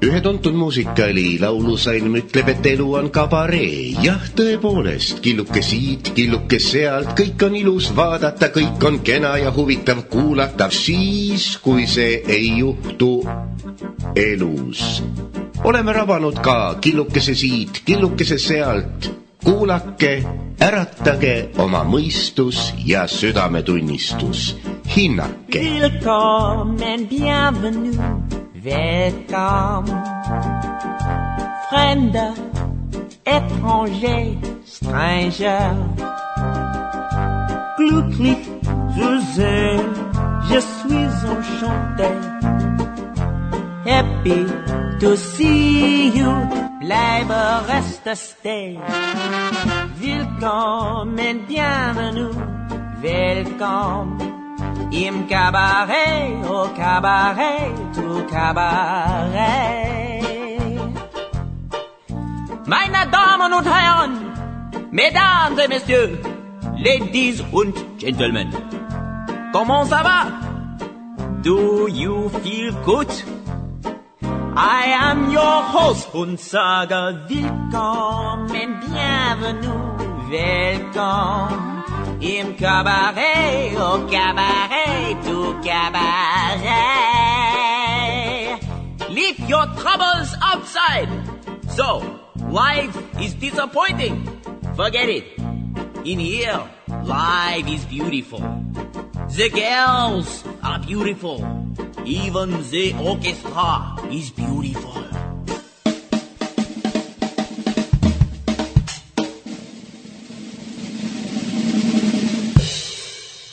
Ühe tuntud muusikali laulusalm ütleb, et elu on kabaree. Jah, tõepoolest, killuke siit, killuke sealt, kõik on ilus vaadata, kõik on kena ja huvitav kuulatav siis, kui see ei juhtu elus. Oleme rabanud ka killukese siit, killukese sealt. Kuulake, äratage oma mõistus ja südametunnistus. Hinnake. Willkommen, bienvenue. Welcome, fremder, étranger, stranger. Glücklich zu sehen, je suis enchanté. Happy to see you, bleibe, reste, stay. Willkommen, bienvenue, welcome. Im Cabaret, au Cabaret, tout Cabaret. Meine Damen und Herren, Mesdames et Messieurs, Ladies und Gentlemen, comment ça va? Do you feel good? I am your host und sage willkommen, bienvenue, welcome. Im Cabaret, au Cabaret, tout Cabaret. Leave your troubles outside. So, life is disappointing. Forget it. In here, life is beautiful. The girls are beautiful. Even the orchestra is beautiful.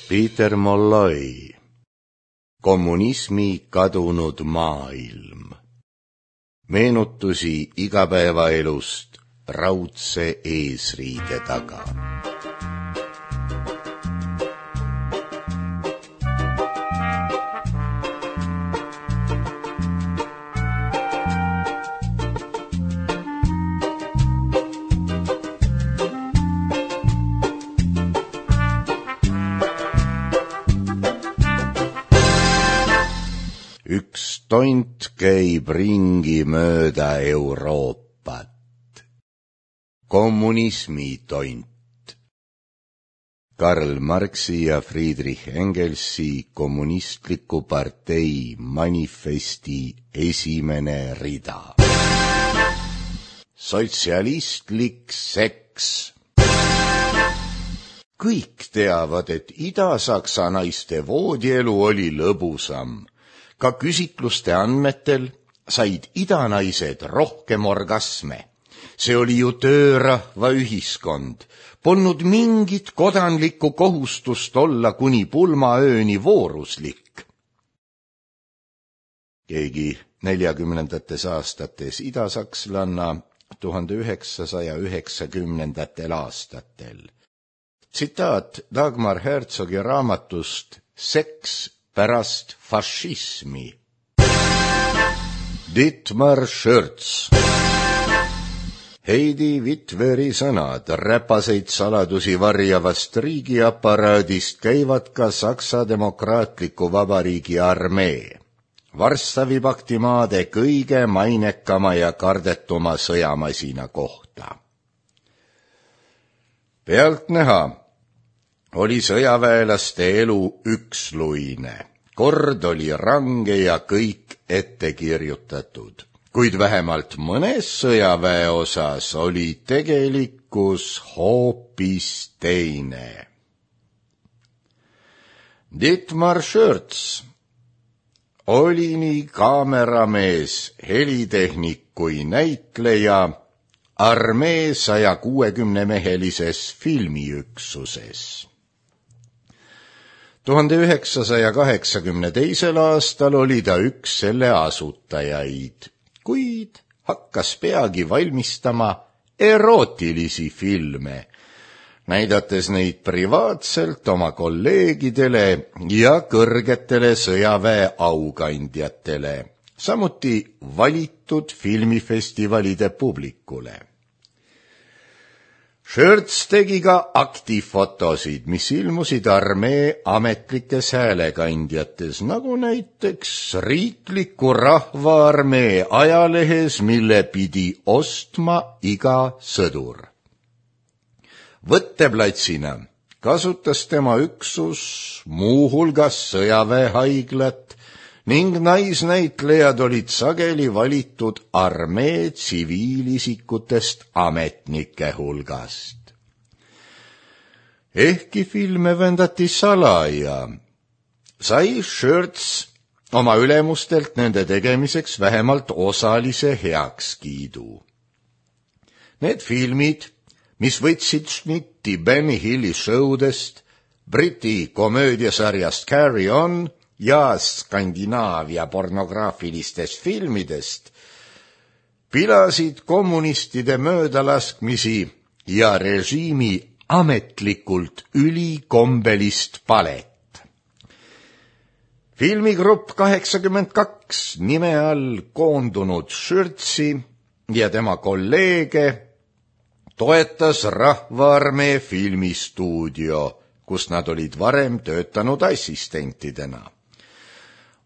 Peter Molloy, kommunismi kadunud maailm. Meenutusi igapäevaelust raudse eesriide taga. Üks tont käib ringi mööda Euroopat. Kommunismi tont. Karl Marxi ja Friedrich Engelsi kommunistliku partei manifesti esimene rida. Sotsialistlik seks. Kõik teavad, et Ida-Saksa naiste voodielu oli lõbusam. Ka küsitluste andmetel said idanaised rohkem orgasme. See oli ju töörahva ühiskond. Polnud mingit kodanlikku kohustust olla kuni pulmaööni vooruslik. Keegi 40. aastates idasakslanna 1990. aastatel. Tsitaat Dagmar Herzogi raamatust Seks pärast fašismi. Dietmar Schürz. Heidi Witveri sõnad räpaseid saladusi varjavast riigiaparaadist käivad ka Saksa Demokraatliku Vabariigi armee. Varssavi paktimaade kõige mainekama ja kardetuma sõjamasina kohta. Pealtnäha oli sõjaväelaste elu üksluine. Kord oli range ja kõik ette kirjutatud, kuid vähemalt mõnes sõjaväe osas oli tegelikkus hoopis teine. Dietmar Schürz oli nii kaameramees, helitehnik kui näitleja armee 160-mehelises filmiüksuses. 1982. aastal oli ta üks selle asutajaid, kuid hakkas peagi valmistama erootilisi filme, näidates neid privaatselt oma kolleegidele ja kõrgetele sõjaväe aukandjatele, samuti valitud filmifestivalide publikule. Schürz tegi ka aktifotosid, mis ilmusid armee ametlikes häälekandjates, nagu näiteks Riikliku Rahvaarmee ajalehes, mille pidi ostma iga sõdur. Võtteplatsina kasutas tema üksus muuhulgas sõjaväehaiglat ning naisnäitlejad olid sageli valitud armee tsiviilisikutest ametnike hulgast. Ehkki filme vändati salaja, sai Schürz oma ülemustelt nende tegemiseks vähemalt osalise heakskiidu. Need filmid, mis võtsid šnitti Benny Hilli showdest, Briti komöödiasarjast Carry On ja Skandinaavia pornograafilistest filmidest, pilasid kommunistide möödalaskmisi ja režiimi ametlikult ülikombelist palet. Filmigrupp 82 nime all koondunud Schürzi ja tema kolleege toetas Rahvaarmee filmistuudio, kus nad olid varem töötanud assistentidena.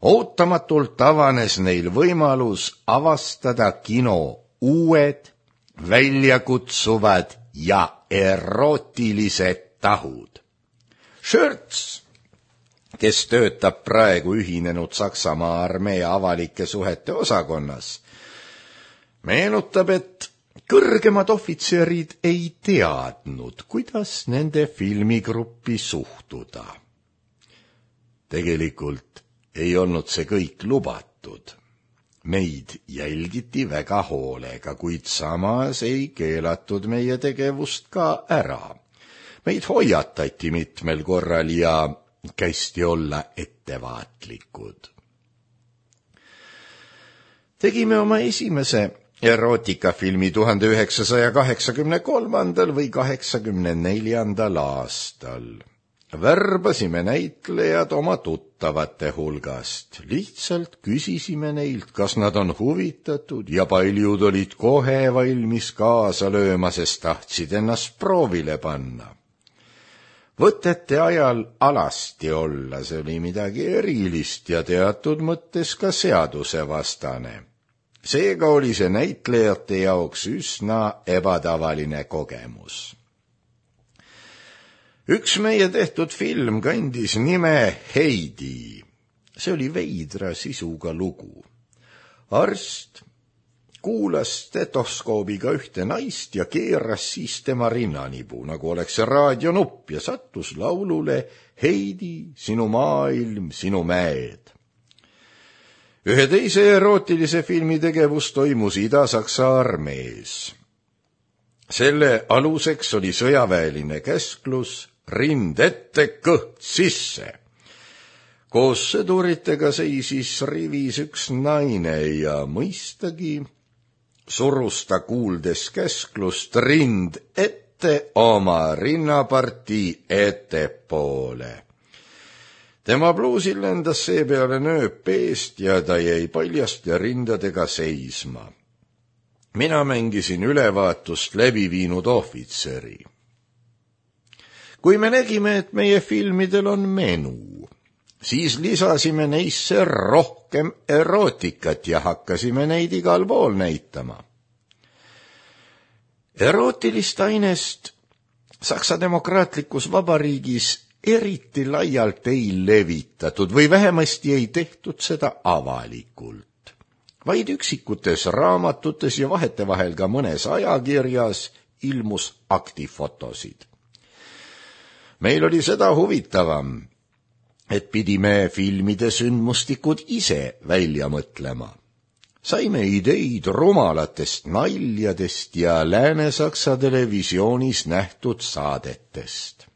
Ootamatult avanes neil võimalus avastada kino uued, väljakutsuvad ja erootilised tahud. Schürz, kes töötab praegu ühinenud Saksamaa armee avalike suhete osakonnas, meenutab, et kõrgemad ohvitserid ei teadnud, kuidas nende filmigruppi suhtuda. Tegelikult ei olnud see kõik lubatud. Meid jälgiti väga hoolega, kuid samas ei keelatud meie tegevust ka ära. Meid hoiatati mitmel korral ja kästi olla ettevaatlikud. Tegime oma esimese erootikafilmi 1983. või 84. aastal. Värbasime näitlejad oma tuttavate hulgast. Lihtsalt küsisime neilt, kas nad on huvitatud ja paljud olid kohe valmis kaasa lööma, sest tahtsid ennast proovile panna. Võtete ajal alasti olla, see oli midagi erilist ja teatud mõttes ka seadusevastane. Seega oli see näitlejate jaoks üsna ebatavaline kogemus. Üks meie tehtud film kandis nime Heidi. See oli veidra sisuga lugu. Arst kuulas stetoskoobiga ühte naist ja keeras siis tema rinnanibu, nagu oleks see raadionupp, ja sattus laulule Heidi, sinu maailm, sinu mäed. Ühe teise erootilise filmi tegevus toimus Ida-Saksa armees. Selle aluseks oli sõjaväeline käsklus rind ette, kõht sisse. Koos sõduritega seisis rivis üks naine ja mõistagi surus ta kuuldes käsklust rind ette oma rinnapartii ettepoole. Tema pluusil lendas seepeale nööp eest ja ta jäi paljaste rindadega seisma. Mina mängisin ülevaatust läbi viinud ohvitseri. Kui me nägime, et meie filmidel on menu, siis lisasime neisse rohkem erootikat ja hakkasime neid igal pool näitama. Erootilist ainest Saksa Demokraatlikus Vabariigis eriti laialt ei levitatud või vähemasti ei tehtud seda avalikult. Vaid üksikutes raamatutes ja vahetevahel ka mõnes ajakirjas ilmus aktifotosid. Meil oli seda huvitavam, et pidime filmide sündmustikud ise välja mõtlema. Saime ideid rumalatest naljadest ja Lääne-Saksa televisioonis nähtud saadetest.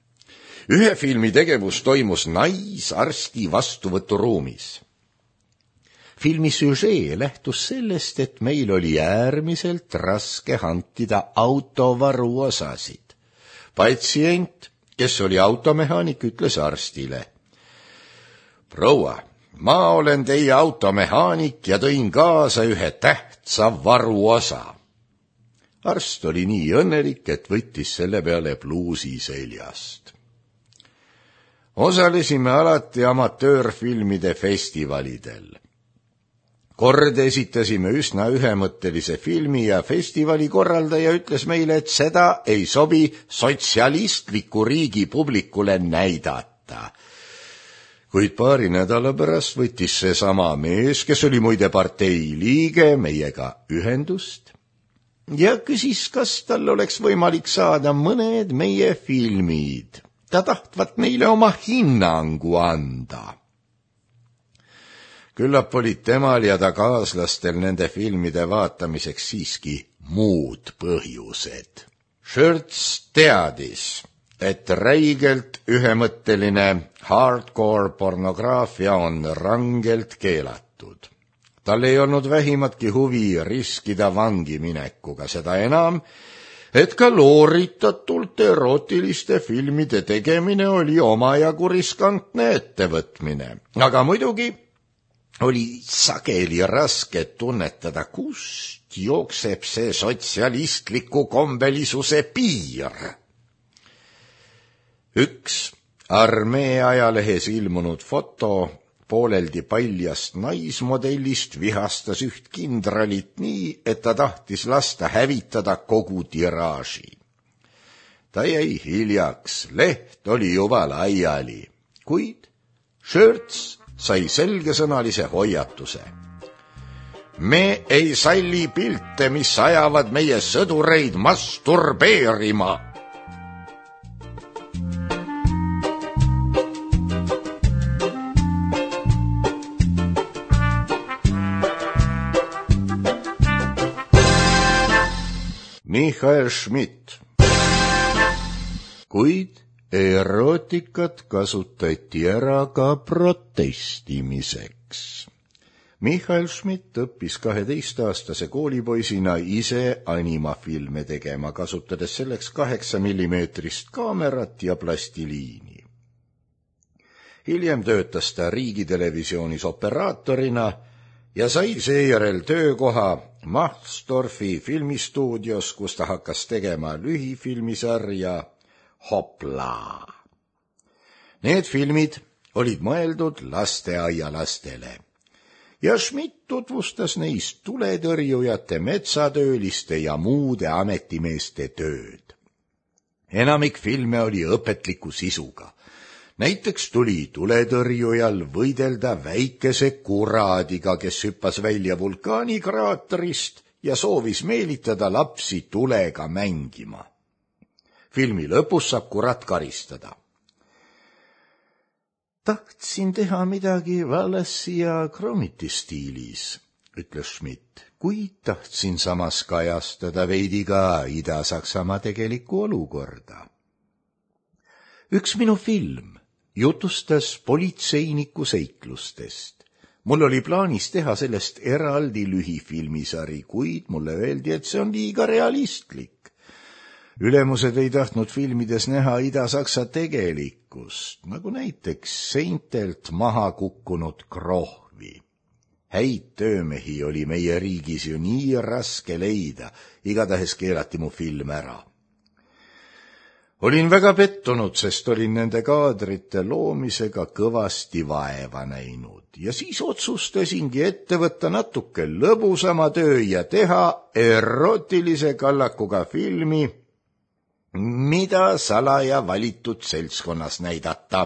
Ühe filmi tegevus toimus naisarsti vastuvõturuumis. Filmi süžee lähtus sellest, et meil oli äärmiselt raske hankida autovaruosasid. Patsient, kes oli automehaanik, ütles arstile: proua, ma olen teie automehaanik ja tõin kaasa ühe tähtsa varuosa. Arst oli nii õnnelik, et võttis selle peale pluusi seljast. Osalesime alati amatöörfilmide festivalidel. Kord esitasime üsna ühemõttelise filmi ja festivali korraldaja ütles meile, et seda ei sobi sotsialistliku riigi publikule näidata. Kuid paari nädala pärast võttis see sama mees, kes oli muide partei liige, meiega ühendust ja küsis, kas tal oleks võimalik saada mõned meie filmid. Ta tahtvat meile oma hinnangu anda. Küllap olid temal ja ta kaaslastel nende filmide vaatamiseks siiski muud põhjused. Schürz teadis, et räigelt ühemõtteline hardcore pornograafia on rangelt keelatud. Tal ei olnud vähimatki huvi riskida vangi minekuga, seda enam, et ka looritatult erootiliste filmide tegemine oli omajagu riskantne ettevõtmine. Aga muidugi oli sageli raske tunnetada, kust jookseb see sotsialistliku kombelisuse piir. Üks armee ajalehes ilmunud foto pooleldi paljast naismodellist vihastas üht kindralit nii, et ta tahtis lasta hävitada kogu tiraaži. Ta jäi hiljaks, leht oli juba laiali, kuid Schürz sai selgesõnalise hoiatuse. Me ei salli pilte, mis ajavad meie sõdureid masturbeerima. Michael Schmidt. Kuid erootikat kasutati ära ka protestimiseks. Michael Schmidt õppis 12-aastase koolipoisina ise animafilme tegema, kasutades selleks 8-millimeetrist kaamerat ja plastiliini. Hiljem töötas ta riigitelevisioonis operaatorina ja sai seejärel töökoha Machtdorfi filmistuudios, kus ta hakkas tegema lühifilmisarja Hopla. Need filmid olid mõeldud lasteaialastele ja Schmidt tutvustas neist tuletõrjujate, metsatööliste ja muude ametimeeste tööd. Enamik filme oli õpetliku sisuga. Näiteks tuli tuletõrjujal võidelda väikese kuraadiga, kes hüppas välja vulkaanikraatrist ja soovis meelitada lapsi tulega mängima. Filmi lõpus saab kurat karistada. Tahtsin teha midagi Wallace'i ja Gromiti stiilis, ütles Schmidt, kuid tahtsin samas kajastada veidi ka Ida-Saksamaa tegelikku olukorda. Üks minu film jutustas politseiniku seiklustest. Mul oli plaanis teha sellest eraldi lühifilmisari, kuid mulle öeldi, et see on liiga realistlik. Ülemused ei tahtnud filmides näha Ida-Saksa tegelikkust, nagu näiteks seintelt maha kukkunud krohvi. Häid töömehi oli meie riigis ju nii raske leida, igatahes keelati mu film ära. Olin väga pettunud, sest olin nende kaadrite loomisega kõvasti vaeva näinud ja siis otsustasingi ette võtta natuke lõbusama töö ja teha erootilise kallakuga filmi, mida salaja valitud seltskonnas näidata.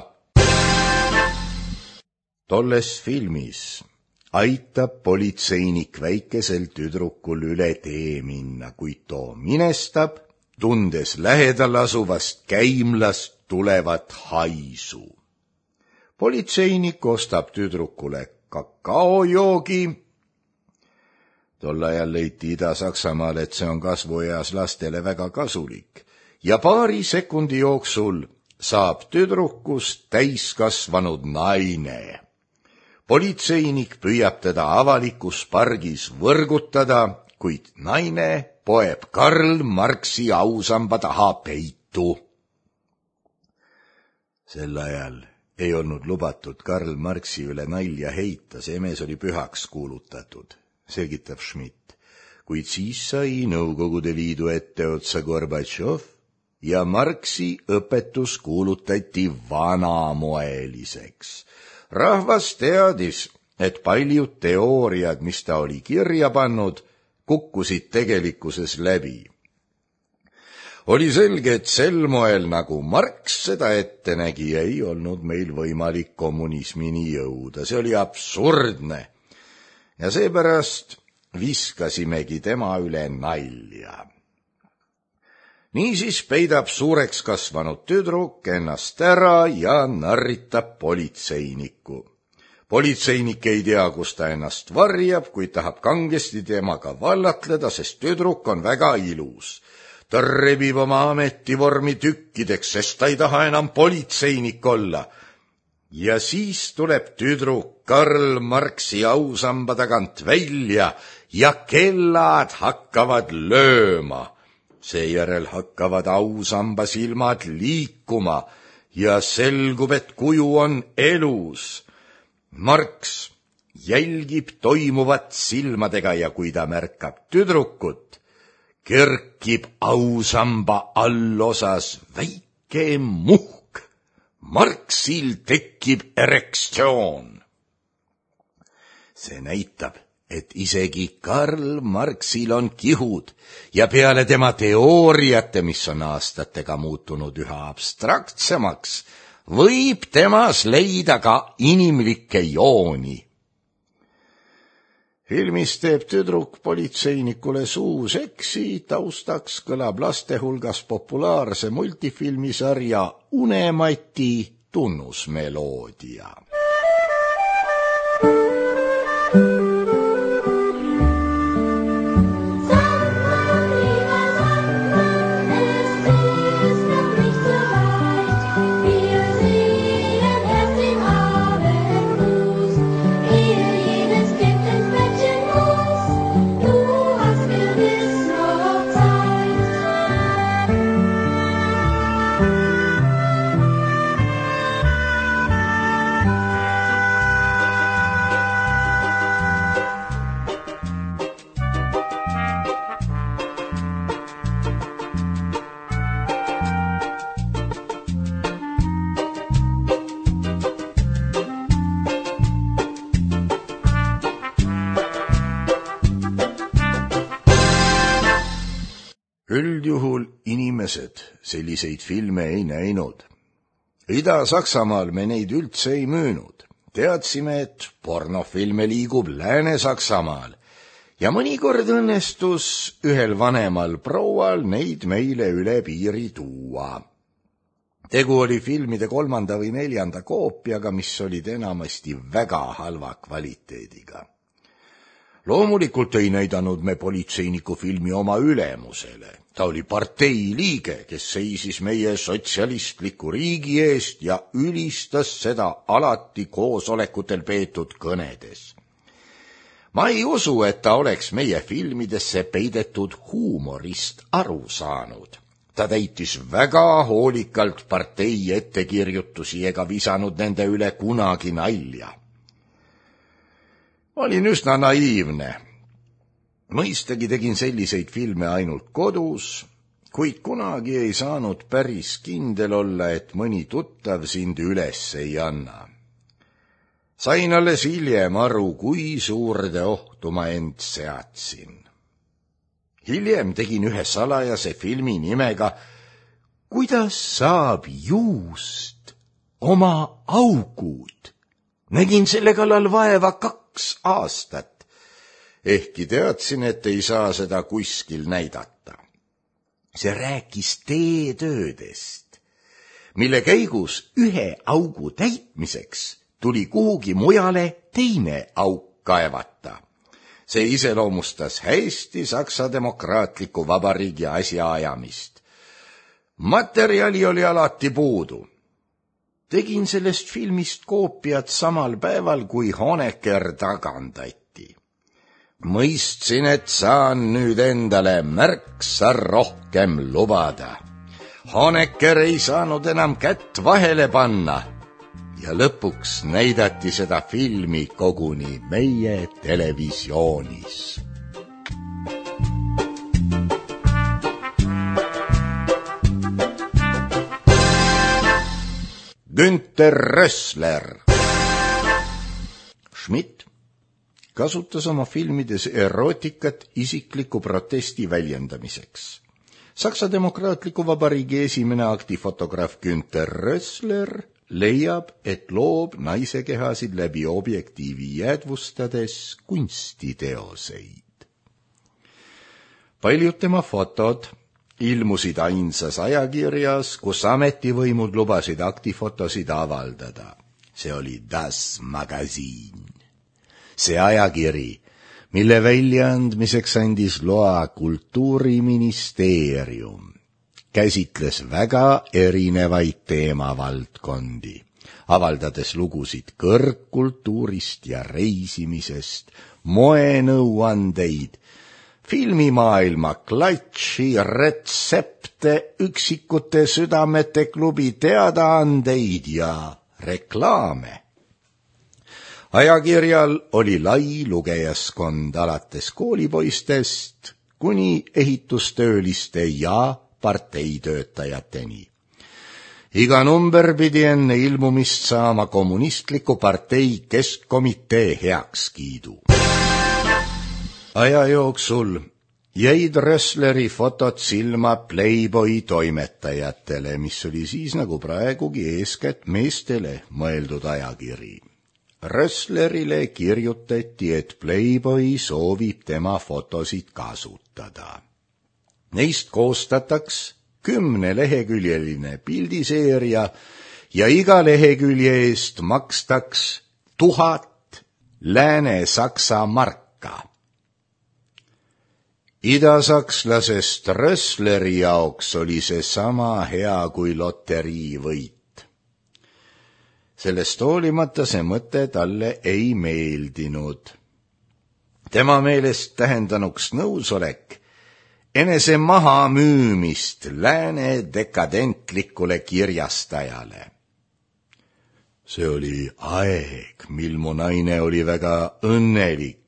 Tolles filmis aitab politseinik väikesel tüdrukul üle tee minna, kuid too minestab, tundes lähedal asuvast käimlast tulevat haisu. Politseinik ostab tüdrukule kakaojoogi. Tol ajal leiti Ida-Saksamaal, et see on kasvueas lastele väga kasulik. Ja paari sekundi jooksul saab tüdrukust täiskasvanud naine. Politseinik püüab teda avalikus pargis võrgutada, kuid naine poeb Karl Marxi ausamba taha peitu. Sel ajal ei olnud lubatud Karl Marxi üle nalja heita, see mees oli pühaks kuulutatud, selgitab Schmidt. kuid siis sai Nõukogude Liidu etteotsa Gorbatšov ja Marxi õpetus kuulutati vanamoeliseks. Rahvas teadis, et paljud teooriad, mis ta oli kirja pannud, kukkusid tegelikkuses läbi. Oli selge, et sel moel, nagu Marx seda ette nägi, ei olnud meil võimalik kommunismini jõuda. See oli absurdne ja seepärast viskasimegi tema üle nalja. Niisiis peidab suureks kasvanud tüdruk ennast ära ja narritab politseinikku. Politseinik ei tea, kus ta ennast varjab, kuid tahab kangesti temaga vallatleda, sest tüdruk on väga ilus. Ta rebib oma ametivormi tükkideks, sest ta ei taha enam politseinik olla. Ja siis tuleb tüdruk Karl Marxi ausamba tagant välja ja kellad hakkavad lööma. Seejärel hakkavad ausamba silmad liikuma ja selgub, et kuju on elus. Marx jälgib toimuvat silmadega ja kui ta märkab tüdrukut, kerkib ausamba allosas väike muhk. Marxil tekib erektsioon. See näitab, et isegi Karl Marxil on kihud ja peale tema teooriate, mis on aastatega muutunud üha abstraktsemaks, võib temas leida ka inimlikke jooni. Filmis teeb tüdruk politseinikule suuseksi, taustaks kõlab laste hulgas populaarse multifilmisarja Unemati tunnusmeloodia. Üldjuhul inimesed selliseid filme ei näinud. Ida-Saksamaal me neid üldse ei müünud. Teadsime, et pornofilme liigub Lääne-Saksamaal ja mõnikord õnnestus ühel vanemal proual neid meile üle piiri tuua. Tegu oli filmide 3. või 4. koopiaga, mis olid enamasti väga halva kvaliteediga. Loomulikult ei näidanud me politseiniku filmi oma ülemusele. Ta oli partei liige, kes seisis meie sotsialistliku riigi eest ja ülistas seda alati koosolekutel peetud kõnedes. Ma ei usu, et ta oleks meie filmidesse peidetud huumorist aru saanud. Ta täitis väga hoolikalt partei ettekirjutusi ega visanud nende üle kunagi nalja. Olin üsna naiivne. Mõistagi tegin selliseid filme ainult kodus, kuid kunagi ei saanud päris kindel olla, et mõni tuttav sind üles ei anna. Sain alles hiljem aru, kui suurde ohtu ma end seadsin. Hiljem tegin ühe salajase filmi nimega Kuidas saab juust oma augud? Nägin selle kallal vaeva 2 aastat. Ehkki teadsin, et ei saa seda kuskil näidata. See rääkis teetöödest, mille käigus ühe augu täitmiseks tuli kuhugi mujale teine auk kaevata. See iseloomustas hästi Saksa Demokraatliku Vabariigi asjaajamist. Materjali oli alati puudu. Tegin sellest filmist koopiat samal päeval, kui Honecker tagandati. Mõistsin, et saan nüüd endale märksa rohkem lubada. Honecker ei saanud enam kätt vahele panna ja lõpuks näidati seda filmi koguni meie televisioonis. Günter Rössler. Schmidt kasutas oma filmides erootikat isikliku protesti väljendamiseks. Saksa Demokraatliku Vabariigi esimene aktifotograaf Günter Rössler leiab, et loob naise kehasid läbi objektiivi jäädvustades kunstiteoseid. Paljud tema fotod ilmusid ainsas ajakirjas, kus ametivõimud lubasid aktifotosid avaldada. See oli Das Magazin. See ajakiri, mille väljaandmiseks andis loa Kultuuriministeerium, käsitles väga erinevaid teemavaldkondi, avaldades lugusid kõrgkultuurist ja reisimisest, moenõuandeid, filmimaailma klatši, retsepte, üksikute südamete klubi teadaandeid ja reklaame. Ajakirjal oli lai lugejaskond alates koolipoistest kuni ehitustööliste ja parteitöötajateni. Iga number pidi enne ilmumist saama kommunistliku partei keskkomitee heakskiidu. Aja jooksul jäid Rössleri fotod silma Playboy toimetajatele, mis oli siis nagu praegugi eeskätt meestele mõeldud ajakiri. Rösslerile kirjutati, et Playboy soovib tema fotosid kasutada. Neist koostataks 10-leheküljeline pildiseeria ja iga lehekülje eest makstaks 1000 Lääne-Saksa marka. Idasaklasest Rössleri jaoks oli see sama hea kui loteriivõit. Sellest hoolimata see mõte talle ei meeldinud. Tema meelest tähendanuks nõusolek enese maha müümist lääne dekadentlikule kirjastajale. See oli aeg, mil mu naine oli väga õnnelik,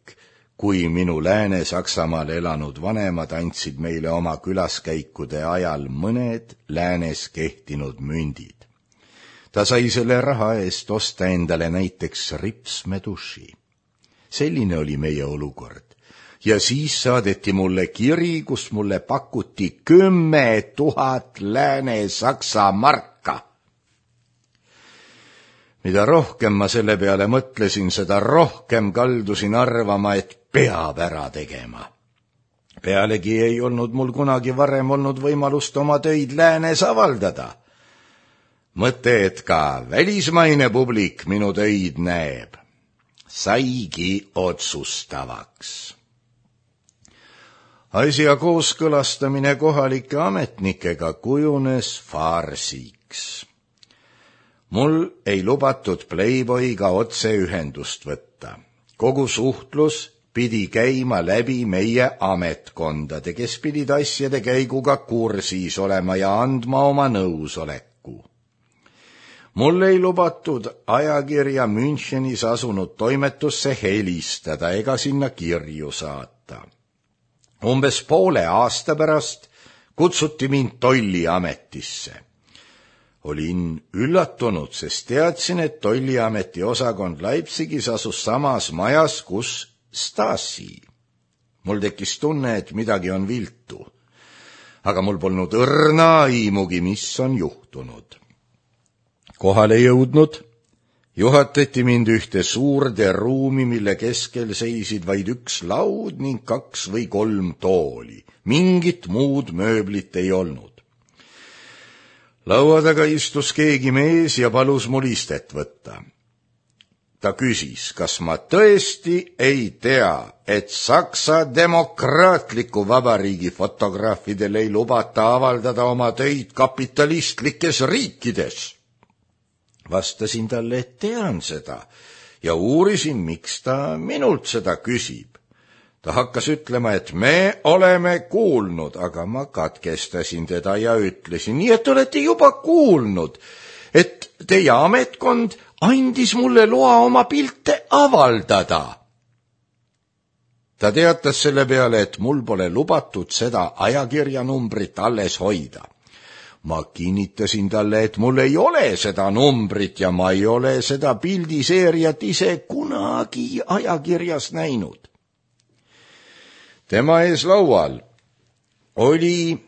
kui minu Lääne-Saksamaal elanud vanemad andsid meile oma külaskäikude ajal mõned läänes kehtinud mündid. Ta sai selle raha eest osta endale näiteks ripsmeduši. Selline oli meie olukord. Ja siis saadeti mulle kiri, kus mulle pakuti 10 000 Lääne-Saksa marka. Mida rohkem ma selle peale mõtlesin, seda rohkem kaldusin arvama, et peab ära tegema. Pealegi ei olnud mul kunagi varem olnud võimalust oma töid läänes avaldada. Mõte, et ka välismaine publik minu töid näeb, saigi otsustavaks. Asja kooskõlastamine kohalike ametnikega kujunes farsiks. Mul ei lubatud Playboyga otseühendust võtta. Kogu suhtlus pidi käima läbi meie ametkondade, kes pidid asjade käiguga kursis olema ja andma oma nõusoleku. Mul ei lubatud ajakirja Münchenis asunud toimetusse helistada ega sinna kirju saata. Umbes poole aasta pärast kutsuti mind tolliametisse. Olin üllatunud, sest teadsin, et tolliameti osakond Leipzigis asus samas majas, kus Stasi. Mul tekkis tunne, et midagi on viltu. Aga mul polnud õrna aimugi, mis on juhtunud. Kohale jõudnud, juhatati mind ühte suurde ruumi, mille keskel seisid vaid üks laud ning 2 või 3 tooli. Mingit muud mööblit ei olnud. Laua taga istus keegi mees ja palus mul istet võtta. Ta küsis, kas ma tõesti ei tea, et Saksa Demokraatliku Vabariigi fotograafidel ei lubata avaldada oma töid kapitalistlikes riikides. Vastasin talle, et tean seda ja uurisin, miks ta minult seda küsib. Ta hakkas ütlema, et me oleme kuulnud, aga ma katkestasin teda ja ütlesin, nii et olete juba kuulnud, et teie ametkond andis mulle loa oma pilte avaldada. Ta teatas selle peale, et mul pole lubatud seda ajakirjanumbrit alles hoida. Ma kinnitasin talle, et mul ei ole seda numbrit ja ma ei ole seda pildiseeriat ise kunagi ajakirjas näinud. Tema ees laual oli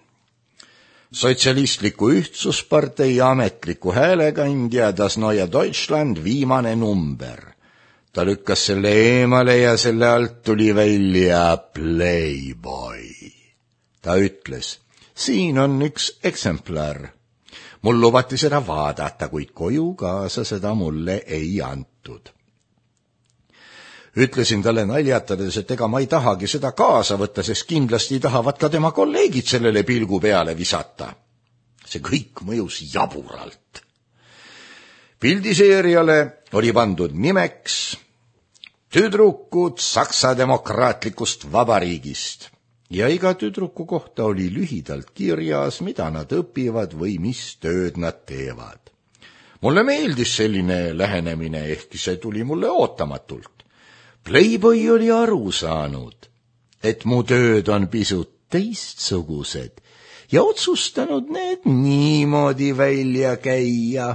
Sotsialistliku Ühtsuspartei ametliku häälekandja Das Neue Deutschland viimane number. Ta lükkas selle eemale ja selle alt tuli välja Playboy. Ta ütles, siin on üks eksemplar. Mul lubati seda vaadata, kuid koju kaasa seda mulle ei antud. Ütlesin talle naljatades, et ega ma ei tahagi seda kaasa võtta, sest kindlasti tahavad ka tema kolleegid sellele pilgu peale visata. See kõik mõjus jaburalt. Pildiseeriale oli pandud nimeks Tüdrukud Saksa Demokraatlikust Vabariigist ja iga tüdruku kohta oli lühidalt kirjas, mida nad õpivad või mis tööd nad teevad. Mulle meeldis selline lähenemine, ehkki see tuli mulle ootamatult. Playboy oli aru saanud, et mu tööd on pisut teistsugused ja otsustanud need niimoodi välja käia.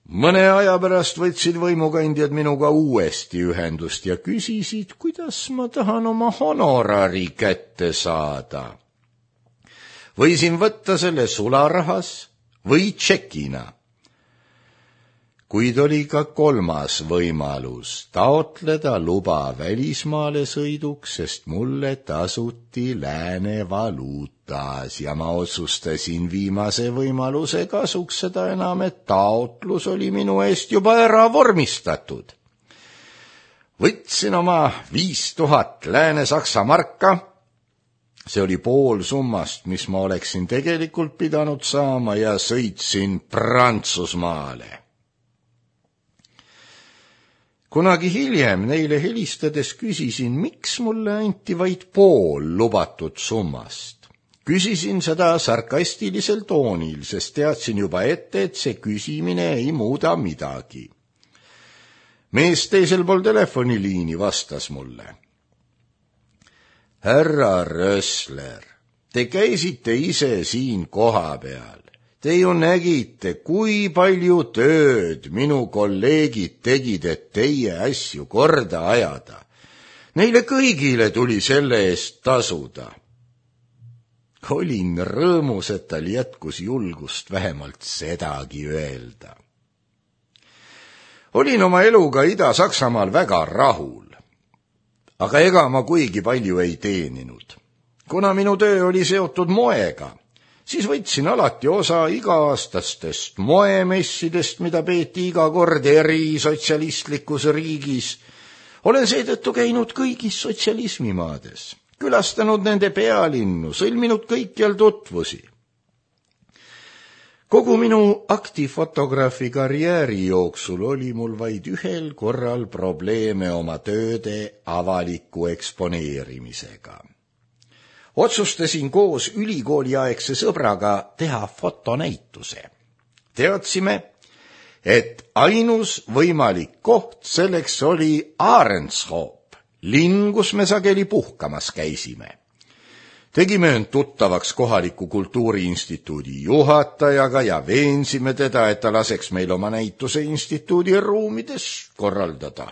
Mõne aja pärast võtsid võimukandjad minuga uuesti ühendust ja küsisid, kuidas ma tahan oma honorari kätte saada. Võisin võtta selle sularahas või tšekina. Kuid oli ka kolmas võimalus taotleda luba välismaale sõiduks, sest mulle tasuti lääne valuutas ja ma otsustasin viimase võimaluse kasuks, seda enam, et taotlus oli minu eest juba ära vormistatud. Võtsin oma 5000 Lääne-Saksa marka, see oli pool summast, mis ma oleksin tegelikult pidanud saama ja sõitsin Prantsusmaale. Kunagi hiljem neile helistades küsisin, miks mulle anti vaid pool lubatud summast. Küsisin seda sarkastilisel toonil, sest teadsin juba ette, et see küsimine ei muuda midagi. Mees teisel pool telefoniliini vastas mulle. Härra Rössler, te käisite ise siin koha peal. Te ju nägite, kui palju tööd minu kolleegid tegid, et teie asju korda ajada. Neile kõigile tuli selle eest tasuda. Olin rõõmus, et tal jätkus julgust vähemalt sedagi öelda. Olin oma eluga Ida-Saksamaal väga rahul, aga ega ma kuigi palju ei teeninud. Kuna minu töö oli seotud moega, siis võtsin alati osa iga-aastastest moemessidest, mida peeti iga kord eri sotsialistlikus riigis. Olen seetõttu käinud kõigis sotsialismimaades, külastanud nende pealinnu, sõlminud kõikjal tutvusi. Kogu minu aktifotograafi karjääri jooksul oli mul vaid ühel korral probleeme oma tööde avaliku eksponeerimisega. Otsustasin koos ülikooliaegse sõbraga teha fotonäituse. Teadsime, et ainus võimalik koht selleks oli Arendshoop, linn, kus me sageli puhkamas käisime. Tegime end tuttavaks kohaliku kultuuriinstituudi juhatajaga ja veensime teda, et ta laseks meil oma näituse instituudi ruumides korraldada.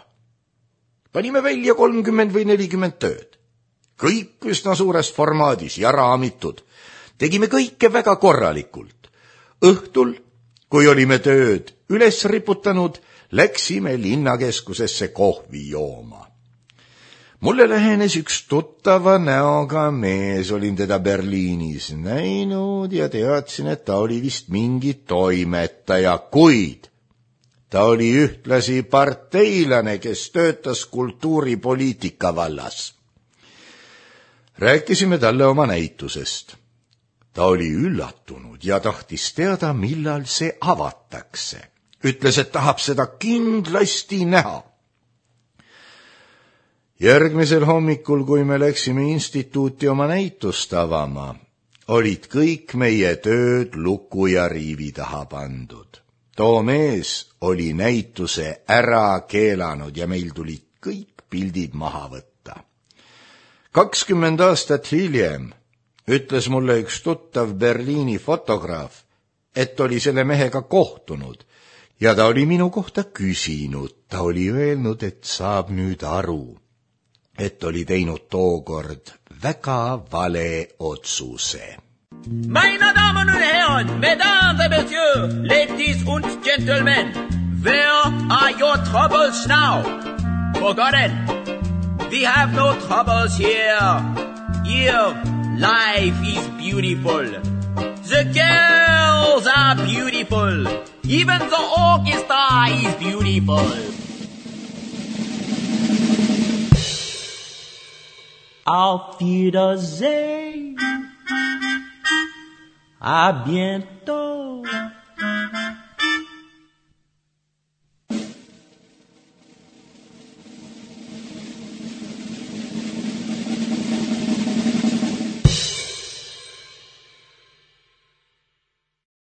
Panime välja 30 või 40 tööd. Kõik üsna suures formaadis ja raamitud. Tegime kõike väga korralikult. Õhtul, kui olime tööd üles riputanud, läksime linnakeskusesse kohvi jooma. Mulle lähenes üks tuttava näoga mees, olin teda Berliinis näinud ja teadsin, et ta oli vist mingi toimetaja, kuid ta oli ühtlasi parteilane, kes töötas kultuuripoliitika vallas. Rääkisime talle oma näitusest. Ta oli üllatunud ja tahtis teada, millal see avatakse. Ütles, et tahab seda kindlasti näha. Järgmisel hommikul, kui me läksime instituuti oma näitust avama, olid kõik meie tööd luku ja riivi taha pandud. Too mees oli näituse ära keelanud ja meil tulid kõik pildid maha võtta. 20 aastat hiljem ütles mulle üks tuttav Berliini fotograaf, et oli selle mehega kohtunud ja ta oli minu kohta küsinud. Ta oli öelnud, et saab nüüd aru, et oli teinud tookord väga vale otsuse. Meine Damen und Herren, Mesdames et Messieurs, Ladies und Gentlemen, where are your troubles now? Forgotten. We have no troubles here. Here, life is beautiful. The girls are beautiful. Even the orchestra is beautiful. Auf Wiedersehen. À bientôt.